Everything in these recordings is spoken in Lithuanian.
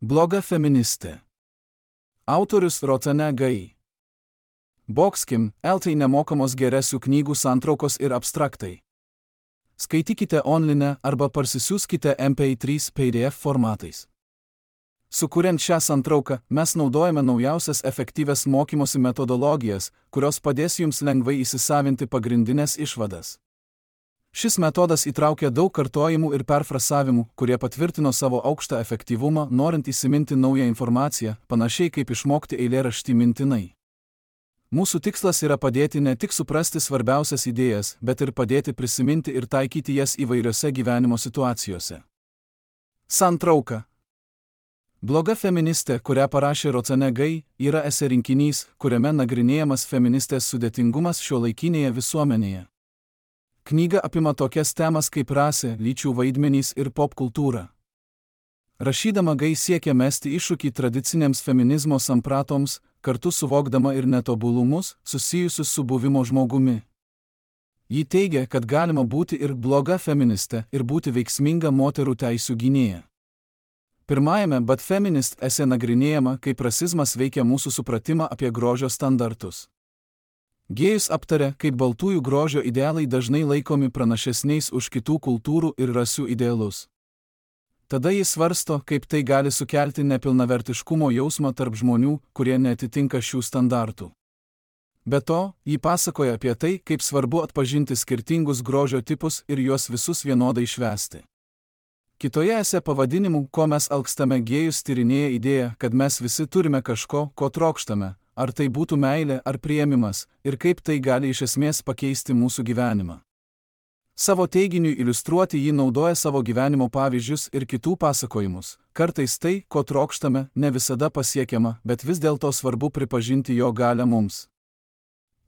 Bloga feministė. Autorius Roxane Gay. Boxkim, LT nemokamos geresių knygų santraukos ir abstraktai. Skaitykite online arba parsisiųskite MP3 PDF formatais. Sukuriant šią santrauką, mes naudojame naujausias efektyvias mokymosi metodologijas, kurios padės jums lengvai įsisavinti pagrindinės išvadas. Šis metodas įtraukia daug kartojimų ir perfrasavimų, kurie patvirtino savo aukštą efektyvumą, norint įsiminti naują informaciją, panašiai kaip išmokti eilėraštį mintinai. Mūsų tikslas yra padėti ne tik suprasti svarbiausias idėjas, bet ir padėti prisiminti ir taikyti jas įvairiose gyvenimo situacijose. Santrauka. Bloga feministė, kurią parašė Roxane Gay, yra esė rinkinys, kuriame nagrinėjamas feministės sudėtingumas šiuolaikinėje visuomenėje. Knyga apima tokias temas kaip rasė, lyčių vaidmenys ir popkultūra. Rašydama Gay siekia mesti iššūkį tradicinėms feminizmo sampratoms, kartu suvokdama ir netobulumus, susijusius su buvimo žmogumi. Ji teigia, kad galima būti ir bloga feministė ir būti veiksminga moterų teisių gynėja. Pirmajame But Feminist esė nagrinėjama, kaip rasizmas veikia mūsų supratimą apie grožio standartus. Gėjus aptarė, kaip baltųjų grožio idealai dažnai laikomi pranašesniais už kitų kultūrų ir rasių idealus. Tada jis svarsto, kaip tai gali sukelti nepilnavertiškumo jausmą tarp žmonių, kurie neatitinka šių standartų. Be to, ji pasakoja apie tai, kaip svarbu atpažinti skirtingus grožio tipus ir juos visus vienodai švęsti. Kitoje esė pavadinimu, ko mes alkstame, Gėjus tyrinėja idėją, kad mes visi turime kažko, ko trokštame, ar tai būtų meilė ar priėmimas, ir kaip tai gali iš esmės pakeisti mūsų gyvenimą. Savo teiginiui iliustruoti ji naudoja savo gyvenimo pavyzdžius ir kitų pasakojimus. Kartais tai, ko trokštame, ne visada pasiekiama, bet vis dėlto svarbu pripažinti jo galią mums.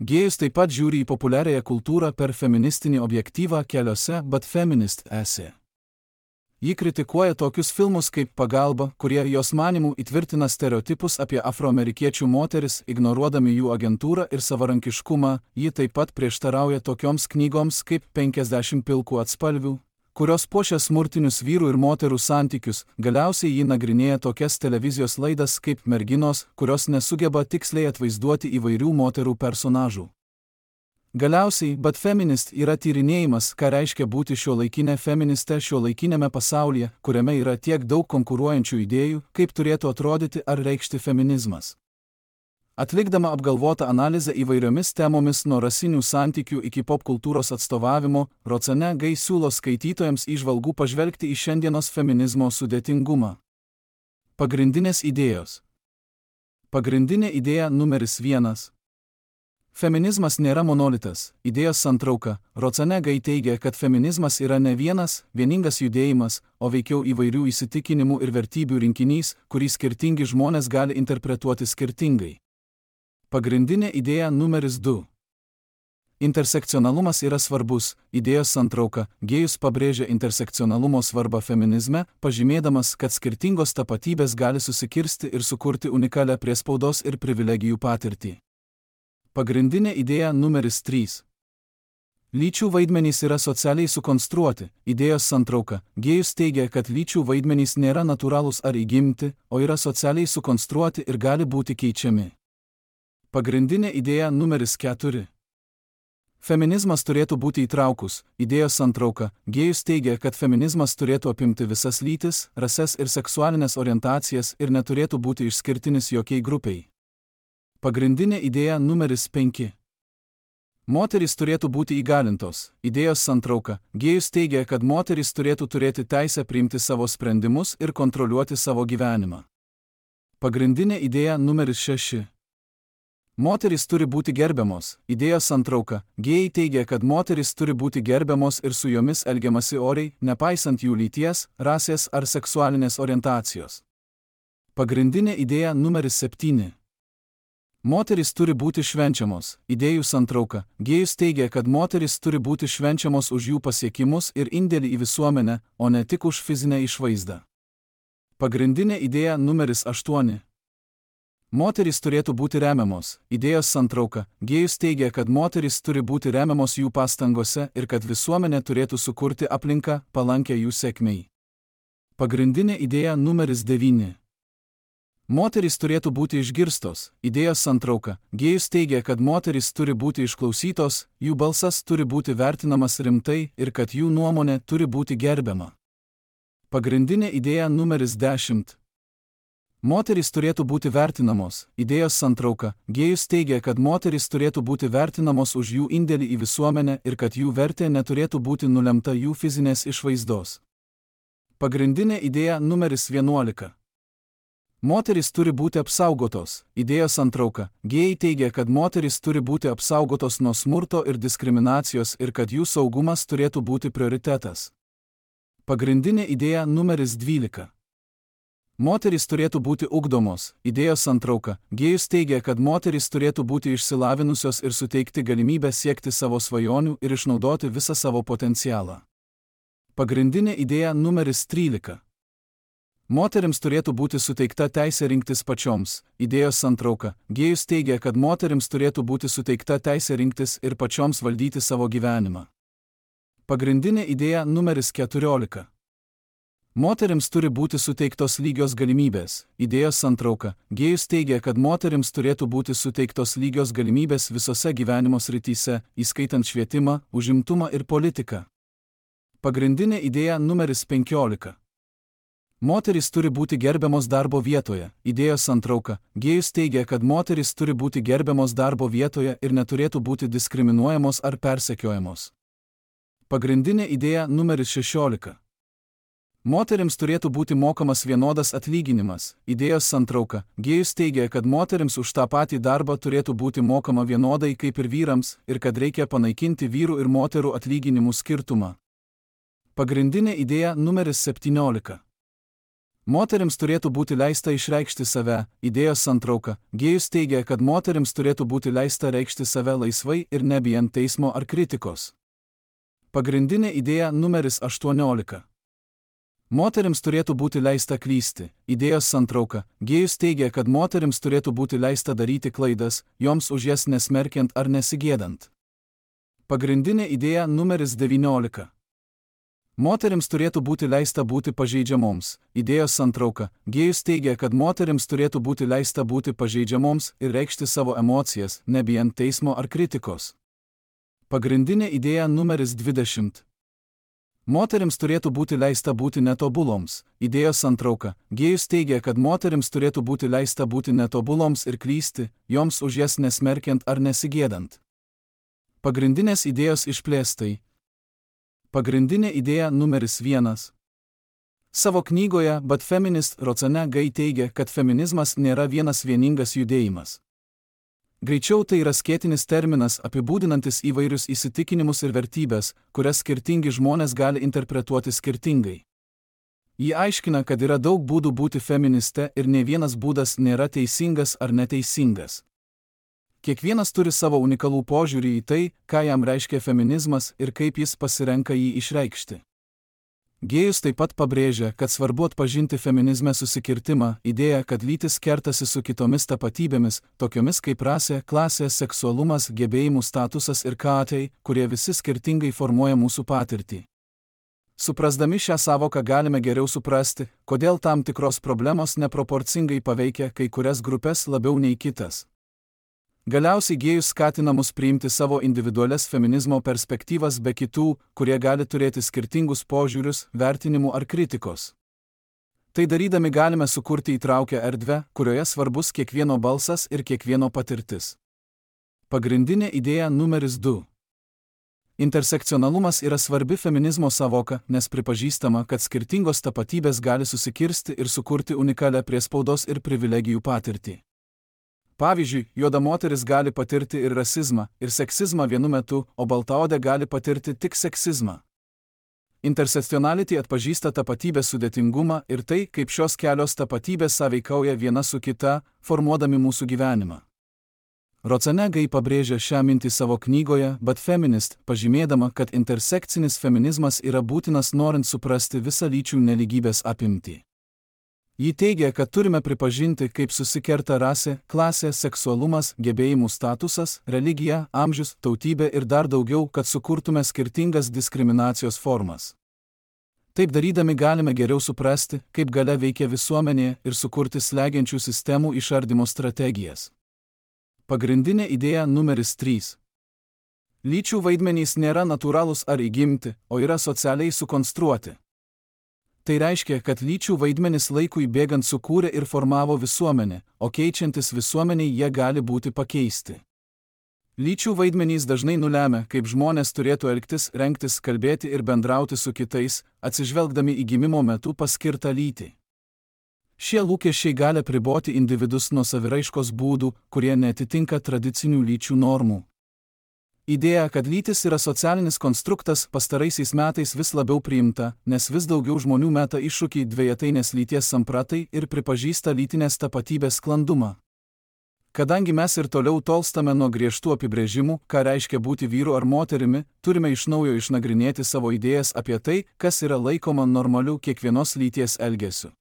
Gėjus taip pat žiūri į populiariąją kultūrą per feministinį objektyvą keliose But Feminist esė. Ji kritikuoja tokius filmus kaip Pagalba, kurie jos manimų įtvirtina stereotipus apie afroamerikiečių moteris, ignoruodami jų agentūrą ir savarankiškumą. Ji taip pat prieštarauja tokioms knygoms kaip 50 pilkų atspalvių, kurios puošia smurtinius vyrų ir moterų santykius. Galiausiai ji nagrinėja tokias televizijos laidas kaip Merginos, kurios nesugeba tiksliai atvaizduoti įvairių moterų personažų. Galiausiai, But Feminist yra tyrinėjimas, ką reiškia būti šiuolaikinė feministė šiuolaikinėme pasaulyje, kuriame yra tiek daug konkuruojančių idėjų, kaip turėtų atrodyti ar reikšti feminizmas. Atlikdama apgalvotą analizę įvairiomis temomis nuo rasinių santykių iki popkultūros atstovavimo, Roxane Gay siūlo skaitytojams įžvalgų pažvelgti į šiandienos feminizmo sudėtingumą. Pagrindinės idėjos. Pagrindinė idėja numeris 1. Feminizmas nėra monolitas. Idėjos santrauka. Roxane Gay teigia, kad feminizmas yra ne vieningas judėjimas, o veikiau įvairių įsitikinimų ir vertybių rinkinys, kurį skirtingi žmonės gali interpretuoti skirtingai. Pagrindinė idėja numeris 2. Intersekcionalumas yra svarbus. Idėjos santrauka. Gėjus pabrėžia intersekcionalumo svarbą feminizme, pažymėdamas, kad skirtingos tapatybės gali susikirsti ir sukurti unikalią priespaudos ir privilegijų patirtį. Pagrindinė idėja numeris 3. Lyčių vaidmenys yra socialiai sukonstruoti. Idėjos santrauka. Gėjus teigia, kad lyčių vaidmenys nėra natūralūs ar įgimti, o yra socialiai sukonstruoti ir gali būti keičiami. Pagrindinė idėja numeris 4. Feminizmas turėtų būti įtraukus. Idėjos santrauka. Gėjus teigia, kad feminizmas turėtų apimti visas lytis, rases ir seksualinės orientacijas ir neturėtų būti išskirtinis jokiai grupiai. Pagrindinė idėja numeris 5. Moterys turėtų būti įgalintos. Idėjos santrauka. Gėjus teigia, kad moterys turėtų turėti teisę priimti savo sprendimus ir kontroliuoti savo gyvenimą. Pagrindinė idėja numeris 6. Moterys turi būti gerbiamos. Idėjos santrauka. Gėjai teigia, kad moterys turi būti gerbiamos ir su jomis elgiamasi oriai, nepaisant jų lyties, rasės ar seksualinės orientacijos. Pagrindinė idėja numeris 7. Moterys turi būti švenčiamos. Idėjų santrauka. Gėjus teigia, kad moterys turi būti švenčiamos už jų pasiekimus ir indėlį į visuomenę, o ne tik už fizinę išvaizdą. Pagrindinė idėja numeris 8. Moterys turėtų būti remiamos. Idėjos santrauka. Gėjus teigia, kad moterys turi būti remiamos jų pastangose ir kad visuomenė turėtų sukurti aplinką palankę jų sėkmei. Pagrindinė idėja numeris 9. Moterys turėtų būti išgirstos, idėjos santrauka. Gėjus teigia, kad moterys turi būti išklausytos, jų balsas turi būti vertinamas rimtai ir kad jų nuomonė turi būti gerbiama. Pagrindinė idėja numeris 10. Moterys turėtų būti vertinamos, idėjos santrauka. Gėjus teigia, kad moterys turėtų būti vertinamos už jų indėlį į visuomenę ir kad jų vertė neturėtų būti nulemta jų fizinės išvaizdos. Pagrindinė idėja numeris 11. Moterys turi būti apsaugotos, idėjos santrauka. Gėjai teigia, kad moterys turi būti apsaugotos nuo smurto ir diskriminacijos ir kad jų saugumas turėtų būti prioritetas. Pagrindinė idėja numeris 12. Moterys turėtų būti ugdomos, idėjos santrauka. Gėjus teigia, kad moterys turėtų būti išsilavinusios ir suteikti galimybę siekti savo svajonių ir išnaudoti visą savo potencialą. Pagrindinė idėja numeris 13. Moterims turėtų būti suteikta teisė rinktis pačioms, idėjos santrauka. Gėjus teigia, kad moterims turėtų būti suteikta teisė rinktis ir pačioms valdyti savo gyvenimą. Pagrindinė idėja numeris 14. Moterims turi būti suteiktos lygios galimybės, idėjos santrauka. Gėjus teigia, kad moterims turėtų būti suteiktos lygios galimybės visose gyvenimo srityse, įskaitant švietimą, užimtumą ir politiką. Pagrindinė idėja numeris 15. Moterys turi būti gerbiamos darbo vietoje, idėjos santrauka. Gėjus teigia, kad moterys turi būti gerbiamos darbo vietoje ir neturėtų būti diskriminuojamos ar persekiojamos. Pagrindinė idėja numeris 16. Moterims turėtų būti mokamas vienodas atlyginimas, idėjos santrauka. Gėjus teigia, kad moterims už tą patį darbą turėtų būti mokama vienodai kaip ir vyrams ir kad reikia panaikinti vyrų ir moterų atlyginimų skirtumą. Pagrindinė idėja numeris 17. Moterims turėtų būti leista išreikšti save, idėjos santrauka. Gėjus teigia, kad moterims turėtų būti leista reikšti save laisvai ir nebijant teismo ar kritikos. Pagrindinė idėja numeris 18. Moterims turėtų būti leista klysti, idėjos santrauka. Gėjus teigia, kad moterims turėtų būti leista daryti klaidas, joms už jas nesmerkiant ar nesigėdant. Pagrindinė idėja numeris 19. Moterims turėtų būti leista būti pažeidžiamoms, idėjos santrauka. Gėjus teigia, kad moterims turėtų būti leista būti pažeidžiamoms ir reikšti savo emocijas, nebijant teismo ar kritikos. Pagrindinė idėja numeris 20. Moterims turėtų būti leista būti netobuloms, idėjos santrauka. Gėjus teigia, kad moterims turėtų būti leista būti netobuloms ir klysti, joms už jas nesmerkiant ar nesigėdant. Pagrindinės idėjos išplėstai. Pagrindinė idėja numeris 1. Savo knygoje But Feminist Roxana Gay teigia, kad feminizmas nėra vienas vieningas judėjimas. Greičiau tai yra skėtinis terminas apibūdinantis įvairius įsitikinimus ir vertybės, kurias skirtingi žmonės gali interpretuoti skirtingai. Ji aiškina, kad yra daug būdų būti feministe ir ne vienas būdas nėra teisingas ar neteisingas. Kiekvienas turi savo unikalų požiūrį į tai, ką jam reiškia feminizmas ir kaip jis pasirenka jį išreikšti. Gėjus taip pat pabrėžia, kad svarbu atpažinti feminizme susikirtimą, idėją, kad lytis kertasi su kitomis tapatybėmis, tokiomis kaip rasė, klasė, seksualumas, gebėjimų statusas ir katai, kurie visi skirtingai formuoja mūsų patirtį. Suprasdami šią savoką galime geriau suprasti, kodėl tam tikros problemos neproporcingai paveikia kai kurias grupės labiau nei kitas. Galiausiai gėjus skatina mus priimti savo individualias feminizmo perspektyvas be kitų, kurie gali turėti skirtingus požiūrius, vertinimų ar kritikos. Tai darydami galime sukurti įtraukią erdvę, kurioje svarbus kiekvieno balsas ir kiekvieno patirtis. Pagrindinė idėja numeris 2. Intersekcionalumas yra svarbi feminizmo savoka, nes pripažįstama, kad skirtingos tapatybės gali susikirsti ir sukurti unikalią priespaudos ir privilegijų patirtį. Pavyzdžiui, juoda moteris gali patirti ir rasizmą, ir seksizmą vienu metu, o baltaodė gali patirti tik seksizmą. Intersekcionality atpažįsta tapatybės sudėtingumą ir tai, kaip šios kelios tapatybės sąveikauja viena su kita, formuodami mūsų gyvenimą. Roxana Gay pabrėžia šią mintį savo knygoje But Feminist, pažymėdama, kad intersekcinis feminizmas yra būtinas norint suprasti visą lyčių nelygybės apimtį. Ji teigia, kad turime pripažinti, kaip susikerta rasė, klasė, seksualumas, gebėjimų statusas, religija, amžius, tautybė ir dar daugiau, kad sukurtume skirtingas diskriminacijos formas. Taip darydami galime geriau suprasti, kaip galia veikia visuomenėje ir sukurti slegiančių sistemų išardymo strategijas. Pagrindinė idėja numeris 3. Lyčių vaidmenys nėra natūralūs ar įgimti, o yra socialiai sukonstruoti. Tai reiškia, kad lyčių vaidmenys laikui bėgant sukūrė ir formavo visuomenę, o keičiantis visuomeniai jie gali būti pakeisti. Lyčių vaidmenys dažnai nulemia, kaip žmonės turėtų elgtis, rengtis, kalbėti ir bendrauti su kitais, atsižvelgdami į gimimo metu paskirtą lytį. Šie lūkesčiai gali apriboti individus nuo saviraiškos būdų, kurie neatitinka tradicinių lyčių normų. Idėja, kad lytis yra socialinis konstruktas, pastaraisiais metais vis labiau priimta, nes vis daugiau žmonių meta iššūkį dvejetainės lyties sampratai ir pripažįsta lytinės tapatybės sklandumą. Kadangi mes ir toliau tolstame nuo griežtų apibrėžimų, ką reiškia būti vyru ar moterimi, turime iš naujo išnagrinėti savo idėjas apie tai, kas yra laikoma normaliu kiekvienos lyties elgesiu.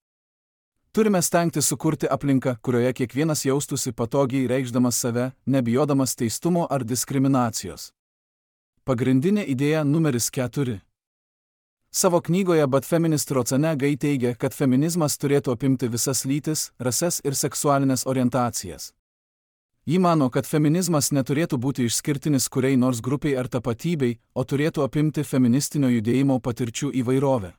Turime stengtis sukurti aplinką, kurioje kiekvienas jaustųsi patogiai reikšdamas save, nebijodamas teistumo ar diskriminacijos. Pagrindinė idėja numeris 4. Savo knygoje But Feminist Rocane Gai teigia, kad feminizmas turėtų apimti visas lytis, rases ir seksualinės orientacijas. Ji mano, kad feminizmas neturėtų būti išskirtinis kuriai nors grupiai ar tapatybei, o turėtų apimti feministinio judėjimo patirčių įvairovę.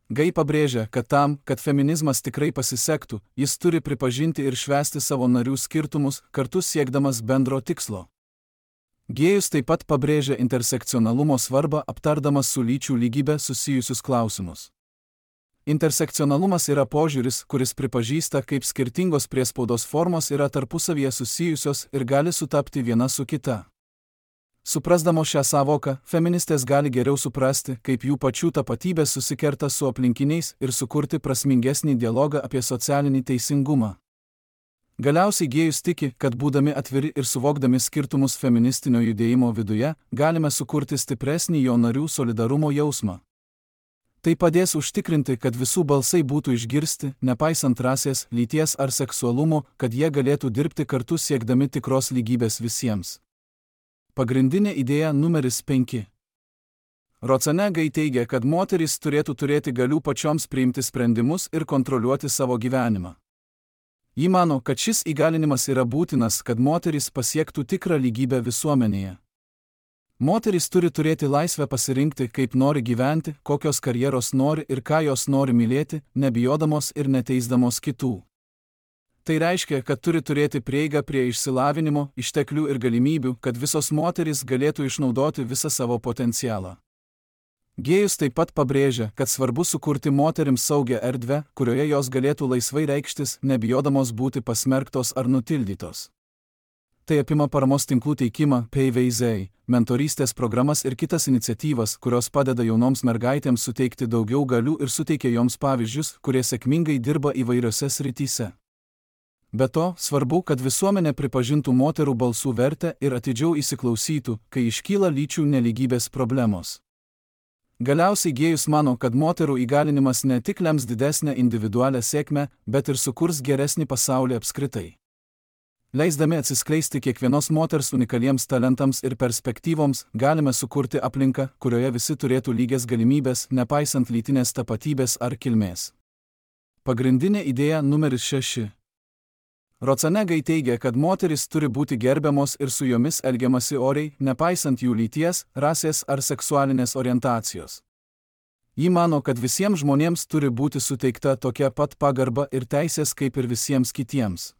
Gai pabrėžia, kad tam, kad feminizmas tikrai pasisektų, jis turi pripažinti ir švęsti savo narių skirtumus, kartu siekdamas bendro tikslo. Gėjus taip pat pabrėžia intersekcionalumo svarbą, aptardamas su lyčių lygybė susijusius klausimus. Intersekcionalumas yra požiūris, kuris pripažįsta, kaip skirtingos priespaudos formos yra tarpusavyje susijusios ir gali sutapti viena su kita. Suprasdamos šią savoką, feministės gali geriau suprasti, kaip jų pačių tapatybės susikerta su aplinkiniais ir sukurti prasmingesnį dialogą apie socialinį teisingumą. Galiausiai Gėjus tiki, kad būdami atviri ir suvokdami skirtumus feministinio judėjimo viduje, galime sukurti stipresnį jo narių solidarumo jausmą. Tai padės užtikrinti, kad visų balsai būtų išgirsti, nepaisant rasės, lyties ar seksualumo, kad jie galėtų dirbti kartu siekdami tikros lygybės visiems. Pagrindinė idėja numeris 5. Rocane Gai teigia, kad moterys turėtų turėti galių pačioms priimti sprendimus ir kontroliuoti savo gyvenimą. Ji mano, kad šis įgalinimas yra būtinas, kad moterys pasiektų tikrą lygybę visuomenėje. Moterys turi turėti laisvę pasirinkti, kaip nori gyventi, kokios karjeros nori ir ką jos nori mylėti, nebijodamos ir neteisdamos kitų. Tai reiškia, kad turi turėti prieigą prie išsilavinimo, išteklių ir galimybių, kad visos moterys galėtų išnaudoti visą savo potencialą. Gėjus taip pat pabrėžia, kad svarbu sukurti moterims saugią erdvę, kurioje jos galėtų laisvai reikštis, nebijodamos būti pasmerktos ar nutildytos. Tai apima paramos tinklų teikimą, PVZ, mentorystės programas ir kitas iniciatyvas, kurios padeda jaunoms mergaitėms suteikti daugiau galių ir suteikia joms pavyzdžius, kurie sėkmingai dirba įvairiose srityse. Be to, svarbu, kad visuomenė pripažintų moterų balsų vertę ir atidžiau įsiklausytų, kai iškyla lyčių nelygybės problemos. Galiausiai Gėjus mano, kad moterų įgalinimas ne tik lems didesnę individualią sėkmę, bet ir sukurs geresnį pasaulį apskritai. Leisdami atsiskleisti kiekvienos moters unikaliems talentams ir perspektyvoms, galime sukurti aplinką, kurioje visi turėtų lygias galimybės, nepaisant lytinės tapatybės ar kilmės. Pagrindinė idėja numeris 6. Rocane Gai teigia, kad moterys turi būti gerbiamos ir su jomis elgiamasi oriai, nepaisant jų lyties, rasės ar seksualinės orientacijos. Ji mano, kad visiems žmonėms turi būti suteikta tokia pat pagarba ir teisės kaip ir visiems kitiems.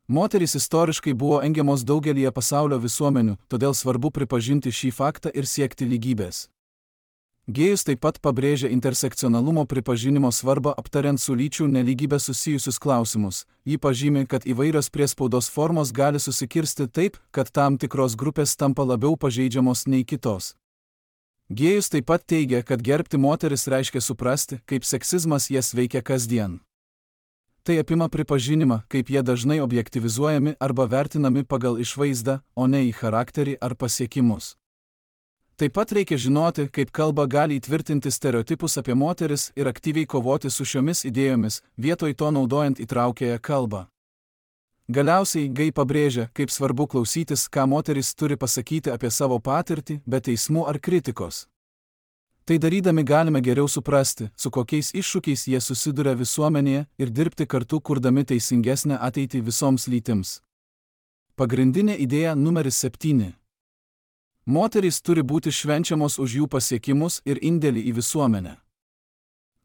Moterys istoriškai buvo engiamos daugelyje pasaulio visuomenių, todėl svarbu pripažinti šį faktą ir siekti lygybės. Gėjus taip pat pabrėžia intersekcionalumo pripažinimo svarbą aptariant su lyčių nelygybė susijusius klausimus. Ji pažymi, kad įvairios priespaudos formos gali susikirsti taip, kad tam tikros grupės tampa labiau pažeidžiamos nei kitos. Gėjus taip pat teigia, kad gerbti moteris reiškia suprasti, kaip seksizmas jas veikia kasdien. Tai apima pripažinimą, kaip jie dažnai objektyvizuojami arba vertinami pagal išvaizdą, o ne į charakterį ar pasiekimus. Taip pat reikia žinoti, kaip kalba gali įtvirtinti stereotipus apie moteris ir aktyviai kovoti su šiomis idėjomis, vietoj to naudojant įtraukiąją kalbą. Galiausiai Gai pabrėžia, kaip svarbu klausytis, ką moteris turi pasakyti apie savo patirtį, be teismų ar kritikos. Tai darydami galime geriau suprasti, su kokiais iššūkiais jie susiduria visuomenėje ir dirbti kartu kurdami teisingesnę ateitį visoms lytims. Pagrindinė idėja numeris 7. Moterys turi būti švenčiamos už jų pasiekimus ir indėlį į visuomenę.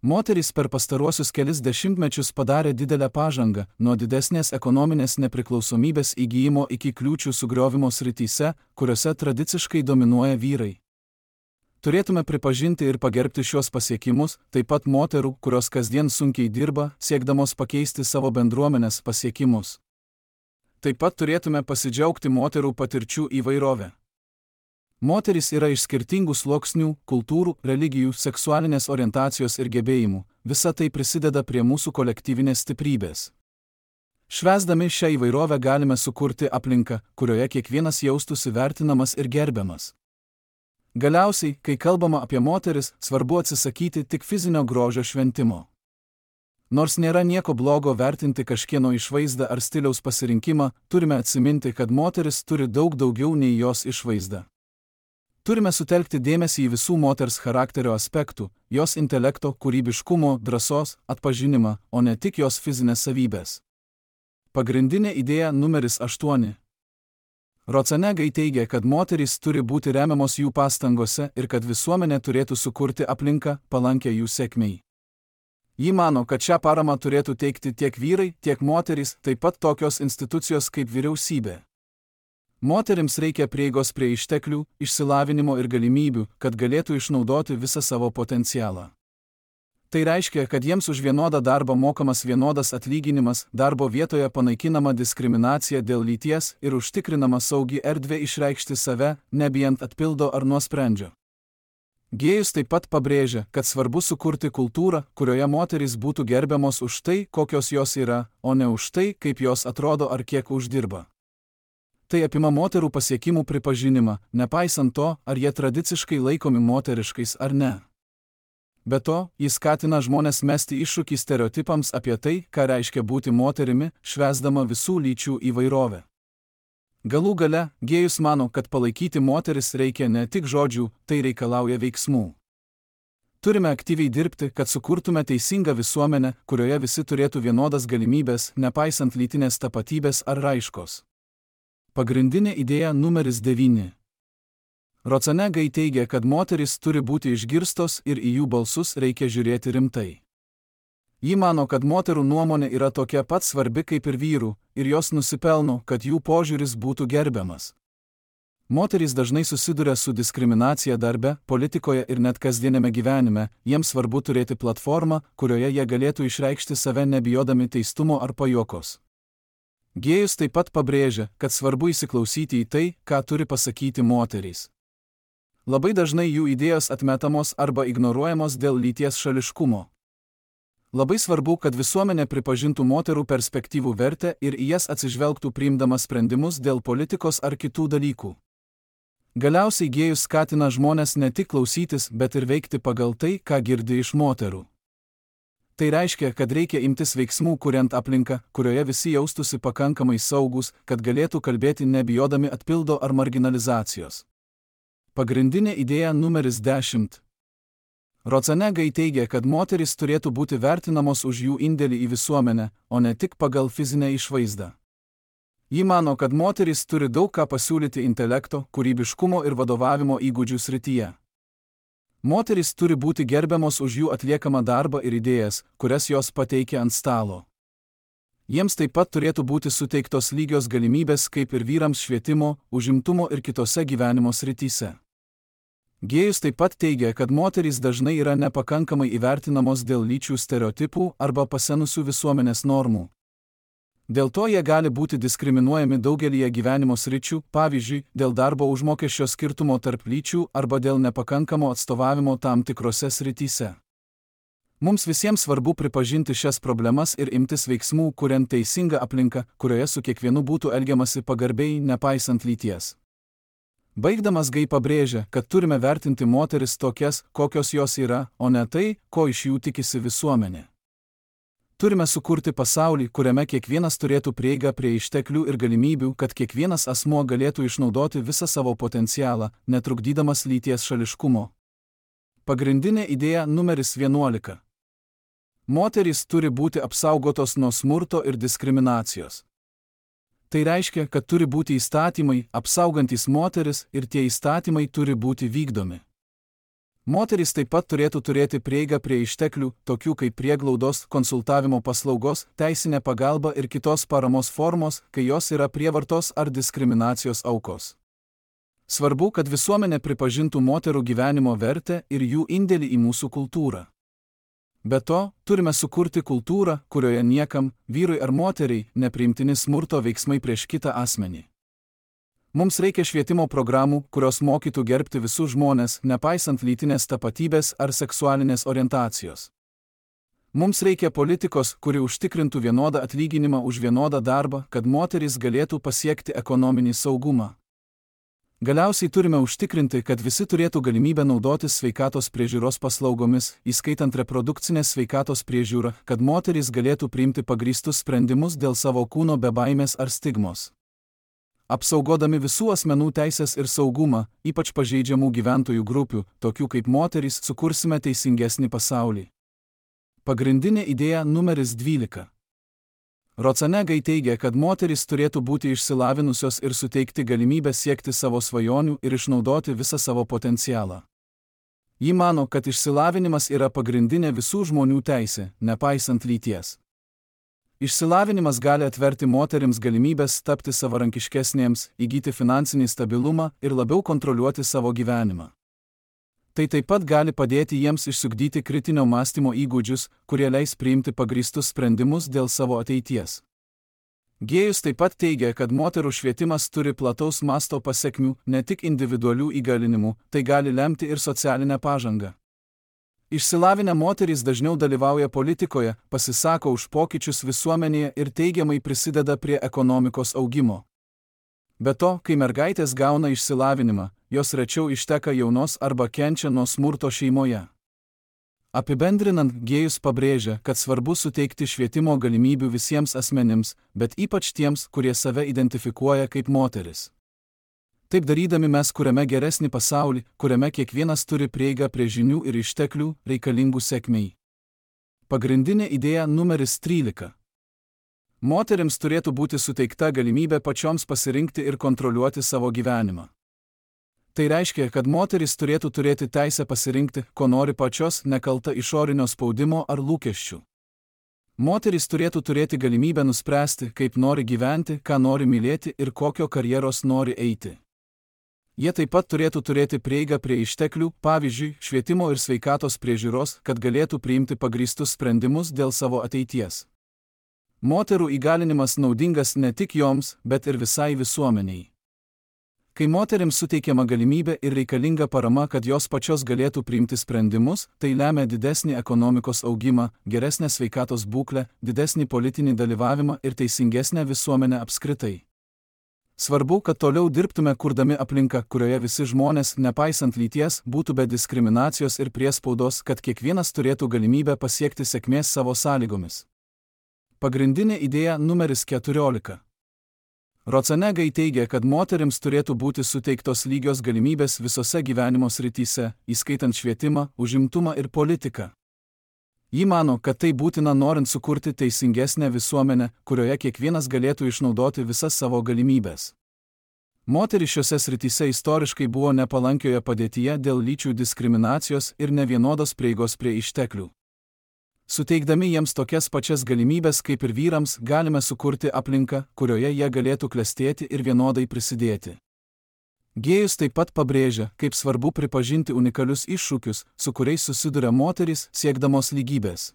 Moterys per pastaruosius kelis dešimtmečius padarė didelę pažangą, nuo didesnės ekonominės nepriklausomybės įgyjimo iki kliūčių sugriovimo srityse, kuriuose tradiciškai dominuoja vyrai. Turėtume pripažinti ir pagerbti šios pasiekimus, taip pat moterų, kurios kasdien sunkiai dirba, siekdamos pakeisti savo bendruomenės pasiekimus. Taip pat turėtume pasidžiaugti moterų patirčių įvairovę. Moterys yra iš skirtingų sluoksnių, kultūrų, religijų, seksualinės orientacijos ir gebėjimų. Visa tai prisideda prie mūsų kolektyvinės stiprybės. Švęsdami šią įvairovę galime sukurti aplinką, kurioje kiekvienas jaustųsi vertinamas ir gerbiamas. Galiausiai, kai kalbama apie moteris, svarbu atsisakyti tik fizinio grožio šventimo. Nors nėra nieko blogo vertinti kažkieno išvaizdą ar stiliaus pasirinkimą, turime atsiminti, kad moteris turi daug daugiau nei jos išvaizda. Turime sutelkti dėmesį į visų moters charakterio aspektų, jos intelekto, kūrybiškumo, drąsos, atpažinimą, o ne tik jos fizinės savybės. Pagrindinė idėja numeris 8. Rozenegai teigia, kad moterys turi būti remiamos jų pastangose ir kad visuomenė turėtų sukurti aplinką, palankę jų sėkmei. Ji mano, kad šią paramą turėtų teikti tiek vyrai, tiek moterys, taip pat tokios institucijos kaip vyriausybė. Moterims reikia prieigos prie išteklių, išsilavinimo ir galimybių, kad galėtų išnaudoti visą savo potencialą. Tai reiškia, kad jiems už vienodą darbą mokamas vienodas atlyginimas, darbo vietoje panaikinama diskriminacija dėl lyties ir užtikrinama saugi erdvė išreikšti save, nebijant atpildo ar nuosprendžio. Gėjus taip pat pabrėžia, kad svarbu sukurti kultūrą, kurioje moterys būtų gerbiamos už tai, kokios jos yra, o ne už tai, kaip jos atrodo ar kiek uždirba. Tai apima moterų pasiekimų pripažinimą, nepaisant to, ar jie tradiciškai laikomi moteriškais ar ne. Be to, jis skatina žmones mesti iššūkį stereotipams apie tai, ką reiškia būti moterimi, švęsdama visų lyčių įvairovę. Galų gale, Gėjus mano, kad palaikyti moteris reikia ne tik žodžių, tai reikalauja veiksmų. Turime aktyviai dirbti, kad sukurtume teisingą visuomenę, kurioje visi turėtų vienodas galimybės, nepaisant lytinės tapatybės ar raiškos. Pagrindinė idėja numeris 9. Rozenegai teigia, kad moterys turi būti išgirstos ir į jų balsus reikia žiūrėti rimtai. Ji mano, kad moterų nuomonė yra tokia pat svarbi kaip ir vyrų, ir jos nusipelno, kad jų požiūris būtų gerbiamas. Moterys dažnai susiduria su diskriminacija darbe, politikoje ir net kasdienėme gyvenime, jiems svarbu turėti platformą, kurioje jie galėtų išreikšti save nebijodami teistumo ar pajuokos. Gėjus taip pat pabrėžia, kad svarbu įsiklausyti į tai, ką turi pasakyti moterys. Labai dažnai jų idėjos atmetamos arba ignoruojamos dėl lyties šališkumo. Labai svarbu, kad visuomenė pripažintų moterų perspektyvų vertę ir į jas atsižvelgtų priimdama sprendimus dėl politikos ar kitų dalykų. Galiausiai Gėjus skatina žmones ne tik klausytis, bet ir veikti pagal tai, ką girdi iš moterų. Tai reiškia, kad reikia imtis veiksmų, kuriant aplinką, kurioje visi jaustųsi pakankamai saugus, kad galėtų kalbėti nebijodami atpildo ar marginalizacijos. Pagrindinė idėja numeris 10. Rozenegai teigia, kad moterys turėtų būti vertinamos už jų indėlį į visuomenę, o ne tik pagal fizinę išvaizdą. Ji mano, kad moterys turi daug ką pasiūlyti intelekto, kūrybiškumo ir vadovavimo įgūdžių srityje. Moterys turi būti gerbiamos už jų atliekamą darbą ir idėjas, kurias jos pateikia ant stalo. Jiems taip pat turėtų būti suteiktos lygios galimybės kaip ir vyrams švietimo, užimtumo ir kitose gyvenimo srityse. Gėjus taip pat teigia, kad moterys dažnai yra nepakankamai įvertinamos dėl lyčių stereotipų arba pasenusių visuomenės normų. Dėl to jie gali būti diskriminuojami daugelyje gyvenimo sričių, pavyzdžiui, dėl darbo užmokesčio skirtumo tarp lyčių arba dėl nepakankamo atstovavimo tam tikrose srityse. Mums visiems svarbu pripažinti šias problemas ir imtis veiksmų, kuriant teisingą aplinką, kurioje su kiekvienu būtų elgiamasi pagarbiai, nepaisant lyties. Baigdamas Gei pabrėžia, kad turime vertinti moteris tokias, kokios jos yra, o ne tai, ko iš jų tikisi visuomenė. Turime sukurti pasaulį, kuriame kiekvienas turėtų prieigą prie išteklių ir galimybių, kad kiekvienas asmuo galėtų išnaudoti visą savo potencialą, netrukdydamas lyties šališkumo. Pagrindinė idėja numeris 11. Moterys turi būti apsaugotos nuo smurto ir diskriminacijos. Tai reiškia, kad turi būti įstatymai, apsaugantys moteris, ir tie įstatymai turi būti vykdomi. Moterys taip pat turėtų turėti prieigą prie išteklių, tokių kaip prieglaudos, konsultavimo paslaugos, teisinė pagalba ir kitos paramos formos, kai jos yra prievartos ar diskriminacijos aukos. Svarbu, kad visuomenė pripažintų moterų gyvenimo vertę ir jų indėlį į mūsų kultūrą. Be to, turime sukurti kultūrą, kurioje niekam, vyrui ar moteriai, nepriimtini smurto veiksmai prieš kitą asmenį. Mums reikia švietimo programų, kurios mokytų gerbti visus žmones, nepaisant lytinės tapatybės ar seksualinės orientacijos. Mums reikia politikos, kuri užtikrintų vienodą atlyginimą už vienodą darbą, kad moterys galėtų pasiekti ekonominį saugumą. Galiausiai turime užtikrinti, kad visi turėtų galimybę naudotis sveikatos priežiūros paslaugomis, įskaitant reprodukcinės sveikatos priežiūrą, kad moterys galėtų priimti pagrįstus sprendimus dėl savo kūno be baimės ar stigmos. Apsaugodami visų asmenų teisės ir saugumą, ypač pažeidžiamų gyventojų grupių, tokių kaip moterys, sukursime teisingesnį pasaulį. Pagrindinė idėja numeris 12. Rocenegai teigia, kad moterys turėtų būti išsilavinusios ir suteikti galimybę siekti savo svajonių ir išnaudoti visą savo potencialą. Ji mano, kad išsilavinimas yra pagrindinė visų žmonių teisė, nepaisant lyties. Išsilavinimas gali atverti moterims galimybės tapti savarankiškesnėms, įgyti finansinį stabilumą ir labiau kontroliuoti savo gyvenimą. Tai taip pat gali padėti jiems išsiugdyti kritinio mąstymo įgūdžius, kurie leis priimti pagrįstus sprendimus dėl savo ateities. Gėjus taip pat teigia, kad moterų švietimas turi plataus masto pasekmių, ne tik individualių įgalinimų, tai gali lemti ir socialinę pažangą. Išsilavinę moterys dažniau dalyvauja politikoje, pasisako už pokyčius visuomenėje ir teigiamai prisideda prie ekonomikos augimo. Be to, kai mergaitės gauna išsilavinimą, jos rečiau išteka jaunos arba kenčia nuo smurto šeimoje. Apibendrinant, Gėjus pabrėžia, kad svarbu suteikti švietimo galimybių visiems asmenims, bet ypač tiems, kurie save identifikuoja kaip moteris. Taip darydami mes kuriame geresnį pasaulį, kuriame kiekvienas turi prieigą prie žinių ir išteklių, reikalingų sėkmei. Pagrindinė idėja numeris 13. Moterims turėtų būti suteikta galimybė pačioms pasirinkti ir kontroliuoti savo gyvenimą. Tai reiškia, kad moterys turėtų turėti teisę pasirinkti, ko nori pačios, nekalta išorinio spaudimo ar lūkesčių. Moterys turėtų turėti galimybę nuspręsti, kaip nori gyventi, ką nori mylėti ir kokio karjeros nori eiti. Jie taip pat turėtų turėti prieigą prie išteklių, pavyzdžiui, švietimo ir sveikatos priežiūros, kad galėtų priimti pagrįstus sprendimus dėl savo ateities. Moterų įgalinimas naudingas ne tik joms, bet ir visai visuomeniai. Kai moterims suteikiama galimybė ir reikalinga parama, kad jos pačios galėtų priimti sprendimus, tai lemia didesnį ekonomikos augimą, geresnę sveikatos būklę, didesnį politinį dalyvavimą ir teisingesnę visuomenę apskritai. Svarbu, kad toliau dirbtume kurdami aplinką, kurioje visi žmonės, nepaisant lyties, būtų be diskriminacijos ir priespaudos, kad kiekvienas turėtų galimybę pasiekti sėkmės savo sąlygomis. Pagrindinė idėja numeris 14. Rocenegai teigia, kad moterims turėtų būti suteiktos lygios galimybės visose gyvenimo srityse, įskaitant švietimą, užimtumą ir politiką. Ji mano, kad tai būtina norint sukurti teisingesnę visuomenę, kurioje kiekvienas galėtų išnaudoti visas savo galimybės. Moterys šiose srityse istoriškai buvo nepalankioje padėtyje dėl lyčių diskriminacijos ir nevienodos prieigos prie išteklių. Suteikdami jiems tokias pačias galimybės kaip ir vyrams, galime sukurti aplinką, kurioje jie galėtų klestėti ir vienodai prisidėti. Gėjus taip pat pabrėžia, kaip svarbu pripažinti unikalius iššūkius, su kuriais susiduria moterys, siekdamos lygybės.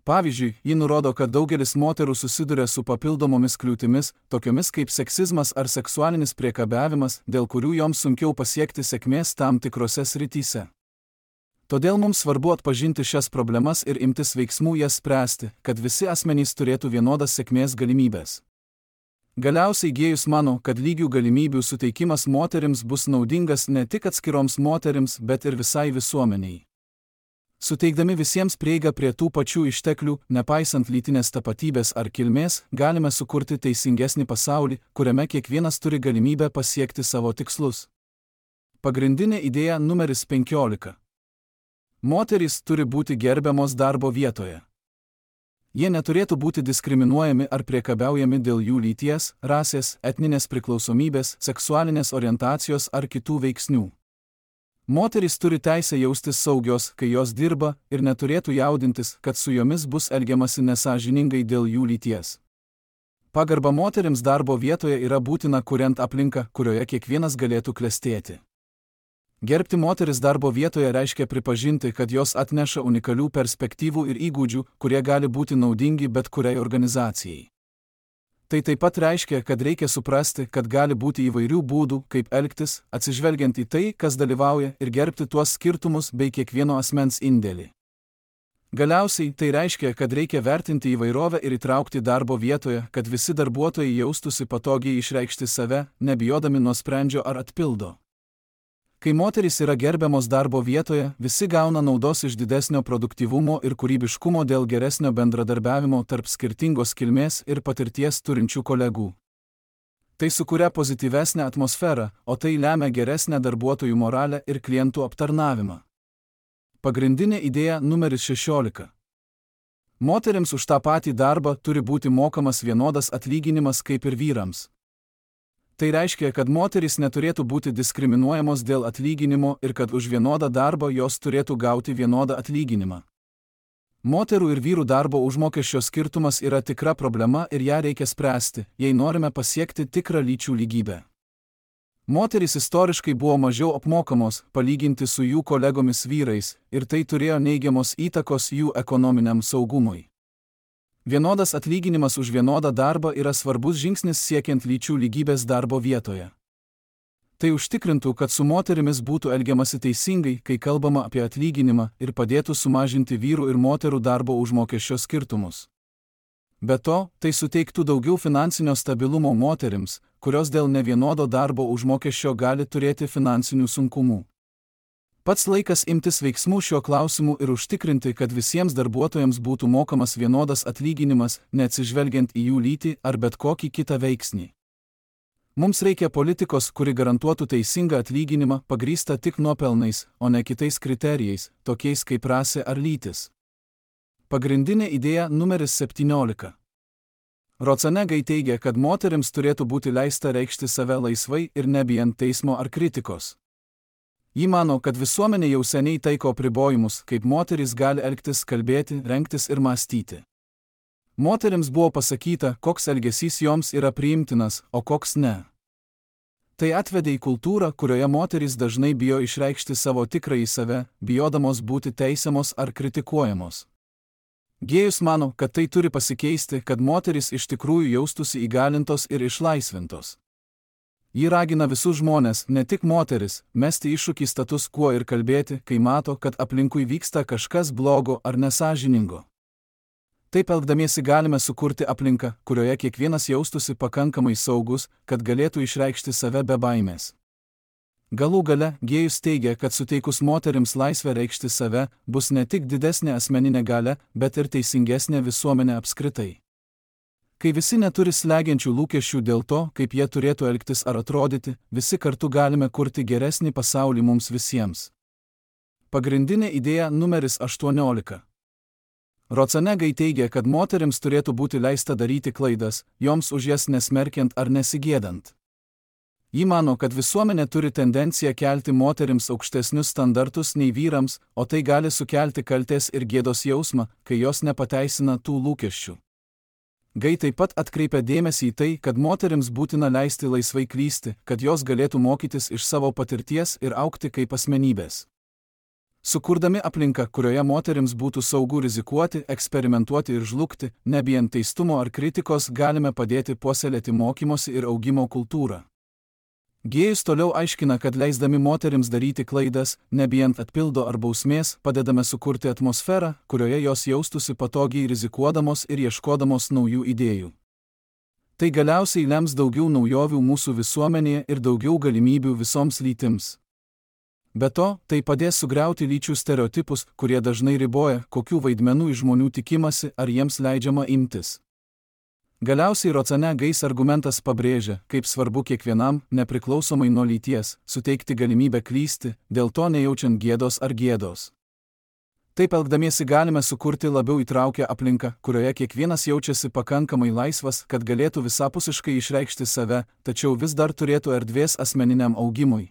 Pavyzdžiui, ji nurodo, kad daugelis moterų susiduria su papildomomis kliūtimis, tokiomis kaip seksizmas ar seksualinis priekabiavimas, dėl kurių joms sunkiau pasiekti sėkmės tam tikrose srityse. Todėl mums svarbu atpažinti šias problemas ir imtis veiksmų jas spręsti, kad visi asmenys turėtų vienodas sėkmės galimybės. Galiausiai Gėjus mano, kad lygių galimybių suteikimas moterims bus naudingas ne tik atskiroms moterims, bet ir visai visuomeniai. Suteikdami visiems prieigą prie tų pačių išteklių, nepaisant lytinės tapatybės ar kilmės, galime sukurti teisingesnį pasaulį, kuriame kiekvienas turi galimybę pasiekti savo tikslus. Pagrindinė idėja numeris 15. Moterys turi būti gerbiamos darbo vietoje. Jie neturėtų būti diskriminuojami ar priekabiaujami dėl jų lyties, rasės, etninės priklausomybės, seksualinės orientacijos ar kitų veiksnių. Moterys turi teisę jaustis saugios, kai jos dirba, ir neturėtų jaudintis, kad su jomis bus elgiamasi nesąžiningai dėl jų lyties. Pagarba moterims darbo vietoje yra būtina kuriant aplinką, kurioje kiekvienas galėtų klestėti. Gerbti moteris darbo vietoje reiškia pripažinti, kad jos atneša unikalių perspektyvų ir įgūdžių, kurie gali būti naudingi bet kuriai organizacijai. Tai taip pat reiškia, kad reikia suprasti, kad gali būti įvairių būdų, kaip elgtis, atsižvelgiant į tai, kas dalyvauja, ir gerbti tuos skirtumus bei kiekvieno asmens indėlį. Galiausiai tai reiškia, kad reikia vertinti įvairovę ir įtraukti darbo vietoje, kad visi darbuotojai jaustųsi patogiai išreikšti save, nebijodami nuosprendžio ar atpildo. Kai moterys yra gerbiamos darbo vietoje, visi gauna naudos iš didesnio produktyvumo ir kūrybiškumo dėl geresnio bendradarbiavimo tarp skirtingos kilmės ir patirties turinčių kolegų. Tai sukuria pozityvesnę atmosferą, o tai lemia geresnę darbuotojų moralę ir klientų aptarnavimą. Pagrindinė idėja numeris 16. Moterims už tą patį darbą turi būti mokamas vienodas atlyginimas kaip ir vyrams. Tai reiškia, kad moterys neturėtų būti diskriminuojamos dėl atlyginimo ir kad už vienodą darbą jos turėtų gauti vienodą atlyginimą. Moterų ir vyrų darbo užmokesčio skirtumas yra tikra problema ir ją reikia spręsti, jei norime pasiekti tikrą lyčių lygybę. Moterys istoriškai buvo mažiau apmokamos, palyginti su jų kolegomis vyrais, ir tai turėjo neigiamos įtakos jų ekonominiam saugumui. Vienodas atlyginimas už vienodą darbą yra svarbus žingsnis siekiant lyčių lygybės darbo vietoje. Tai užtikrintų, kad su moterimis būtų elgiamasi teisingai, kai kalbama apie atlyginimą, ir padėtų sumažinti vyrų ir moterų darbo užmokesčio skirtumus. Be to, tai suteiktų daugiau finansinio stabilumo moterims, kurios dėl nevienodo darbo užmokesčio gali turėti finansinių sunkumų. Pats laikas imtis veiksmų šiuo klausimu ir užtikrinti, kad visiems darbuotojams būtų mokamas vienodas atlyginimas, neatsižvelgiant į jų lytį ar bet kokį kitą veiksnį. Mums reikia politikos, kuri garantuotų teisingą atlyginimą, pagrįstą tik nuopelnais, o ne kitais kriterijais, tokiais kaip rasė ar lytis. Pagrindinė idėja numeris 17. Rocenegaj teigia, kad moterims turėtų būti leista reikšti save laisvai ir nebijant teismo ar kritikos. Ji mano, kad visuomenė jau seniai taiko apribojimus, kaip moterys gali elgtis, kalbėti, rengtis ir mąstyti. Moterims buvo pasakyta, koks elgesys joms yra priimtinas, o koks ne. Tai atvedė į kultūrą, kurioje moterys dažnai bijo išreikšti savo tikrąjį save, bijodamos būti teisiamos ar kritikuojamos. Gėjus mano, kad tai turi pasikeisti, kad moterys iš tikrųjų jaustųsi įgalintos ir išlaisvintos. Ji ragina visus žmones, ne tik moteris, mesti iššūkį status quo ir kalbėti, kai mato, kad aplinkui vyksta kažkas blogo ar nesąžiningo. Taip elgdamiesi galime sukurti aplinką, kurioje kiekvienas jaustųsi pakankamai saugus, kad galėtų išreikšti save be baimės. Galų gale, Gėjus teigia, kad suteikus moterims laisvę reikšti save, bus ne tik didesnė asmeninė galia, bet ir teisingesnė visuomenė apskritai. Kai visi neturi slegiančių lūkesčių dėl to, kaip jie turėtų elgtis ar atrodyti, visi kartu galime kurti geresnį pasaulį mums visiems. Pagrindinė idėja numeris 18. Rocenegaj teigia, kad moterims turėtų būti leista daryti klaidas, joms už jas nesmerkiant ar nesigėdant. Ji mano, kad visuomenė turi tendenciją kelti moterims aukštesnius standartus nei vyrams, o tai gali sukelti kaltės ir gėdos jausmą, kai jos nepateisina tų lūkesčių. Gai taip pat atkreipia dėmesį į tai, kad moterims būtina leisti laisvai klysti, kad jos galėtų mokytis iš savo patirties ir augti kaip asmenybės. Sukurdami aplinką, kurioje moterims būtų saugu rizikuoti, eksperimentuoti ir žlugti, nebijant teistumo ar kritikos, galime padėti puoselėti mokymosi ir augimo kultūrą. Gėjus toliau aiškina, kad leisdami moterims daryti klaidas, nebijant atpildo ar bausmės, padedame sukurti atmosferą, kurioje jos jaustųsi patogiai rizikuodamos ir ieškodamos naujų idėjų. Tai galiausiai lems daugiau naujovių mūsų visuomenėje ir daugiau galimybių visoms lytims. Be to, tai padės sugriauti lyčių stereotipus, kurie dažnai riboja, kokių vaidmenų iš žmonių tikimasi ar jiems leidžiama imtis. Galiausiai Rocenegaj argumentas pabrėžia, kaip svarbu kiekvienam, nepriklausomai nuo lyties, suteikti galimybę klysti, dėl to nejaučiant gėdos ar gėdos. Taip elgdamiesi galime sukurti labiau įtraukę aplinką, kurioje kiekvienas jaučiasi pakankamai laisvas, kad galėtų visapusiškai išreikšti save, tačiau vis dar turėtų erdvės asmeniniam augimui.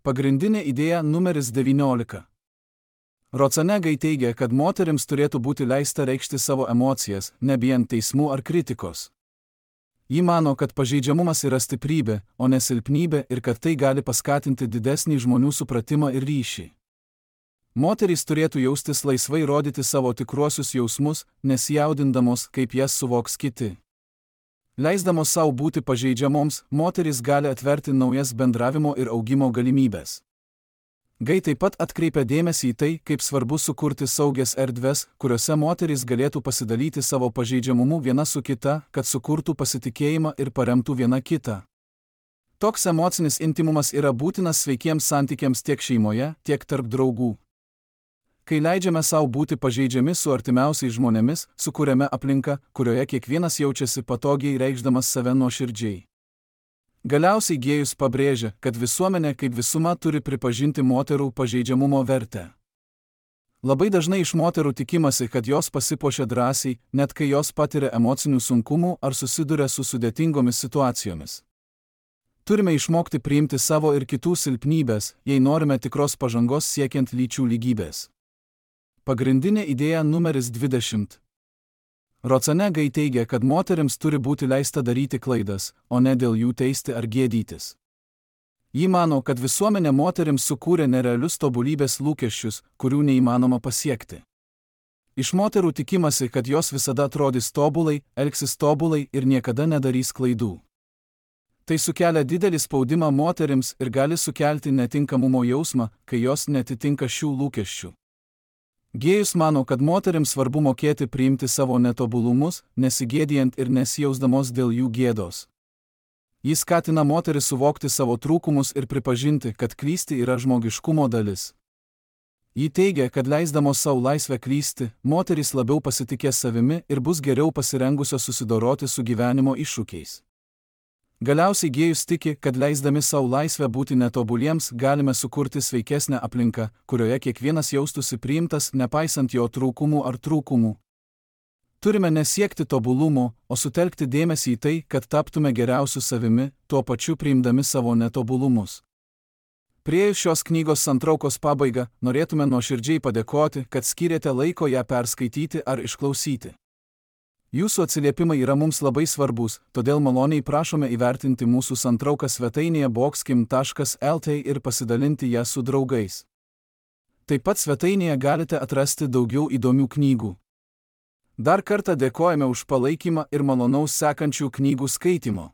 Pagrindinė idėja numeris 19. Rozenegai teigia, kad moterims turėtų būti leista reikšti savo emocijas, nebijant teismų ar kritikos. Ji mano, kad pažeidžiamumas yra stiprybė, o ne silpnybė ir kad tai gali paskatinti didesnį žmonių supratimą ir ryšį. Moterys turėtų jaustis laisvai rodyti savo tikruosius jausmus, nesijaudindamos, kaip jas suvoks kiti. Leisdamos savo būti pažeidžiamoms, moterys gali atverti naujas bendravimo ir augimo galimybės. Gai taip pat atkreipia dėmesį į tai, kaip svarbu sukurti saugias erdves, kuriuose moterys galėtų pasidalyti savo pažeidžiamumu viena su kita, kad sukurtų pasitikėjimą ir paremtų viena kitą. Toks emocinis intymumas yra būtinas sveikiems santykiams tiek šeimoje, tiek tarp draugų. Kai leidžiame savo būti pažeidžiami su artimiausiais žmonėmis, sukūrėme aplinką, kurioje kiekvienas jaučiasi patogiai reikšdamas save nuoširdžiai. Galiausiai Gėjus pabrėžia, kad visuomenė kaip visuma turi pripažinti moterų pažeidžiamumo vertę. Labai dažnai iš moterų tikimasi, kad jos pasipuošia drąsiai, net kai jos patiria emocinių sunkumų ar susiduria su sudėtingomis situacijomis. Turime išmokti priimti savo ir kitų silpnybės, jei norime tikros pažangos siekiant lyčių lygybės. Pagrindinė idėja numeris 20. Rozenegai teigia, kad moterims turi būti leista daryti klaidas, o ne dėl jų teisti ar gėdytis. Ji mano, kad visuomenė moterims sukūrė nerealius tobulybės lūkesčius, kurių neįmanoma pasiekti. Iš moterų tikimasi, kad jos visada atrodys tobulai, elgsis tobulai ir niekada nedarys klaidų. Tai sukelia didelį spaudimą moterims ir gali sukelti netinkamumo jausmą, kai jos netitinka šių lūkesčių. Gėjus mano, kad moterims svarbu mokėti priimti savo netobulumus, nesigėdijant ir nesijausdamos dėl jų gėdos. Jis skatina moteris suvokti savo trūkumus ir pripažinti, kad klysti yra žmogiškumo dalis. Ji teigia, kad leisdamos savo laisvę klysti, moterys labiau pasitikės savimi ir bus geriau pasirengusios susidoroti su gyvenimo iššūkiais. Galiausiai Gėjus tiki, kad leisdami savo laisvę būti netobuliems galime sukurti sveikesnę aplinką, kurioje kiekvienas jaustųsi priimtas, nepaisant jo trūkumų ar trūkumų. Turime nesiekti tobulumo, o sutelkti dėmesį į tai, kad taptume geriausiu savimi, tuo pačiu priimdami savo netobulumus. Priėjus šios knygos santraukos pabaigą, norėtume nuoširdžiai padėkoti, kad skyrėte laiko ją perskaityti ar išklausyti. Jūsų atsiliepimai yra mums labai svarbus, todėl maloniai prašome įvertinti mūsų santrauką svetainėje boxkim.lt ir pasidalinti ją su draugais. Taip pat svetainėje galite atrasti daugiau įdomių knygų. Dar kartą dėkojame už palaikymą ir malonaus sekančių knygų skaitimo.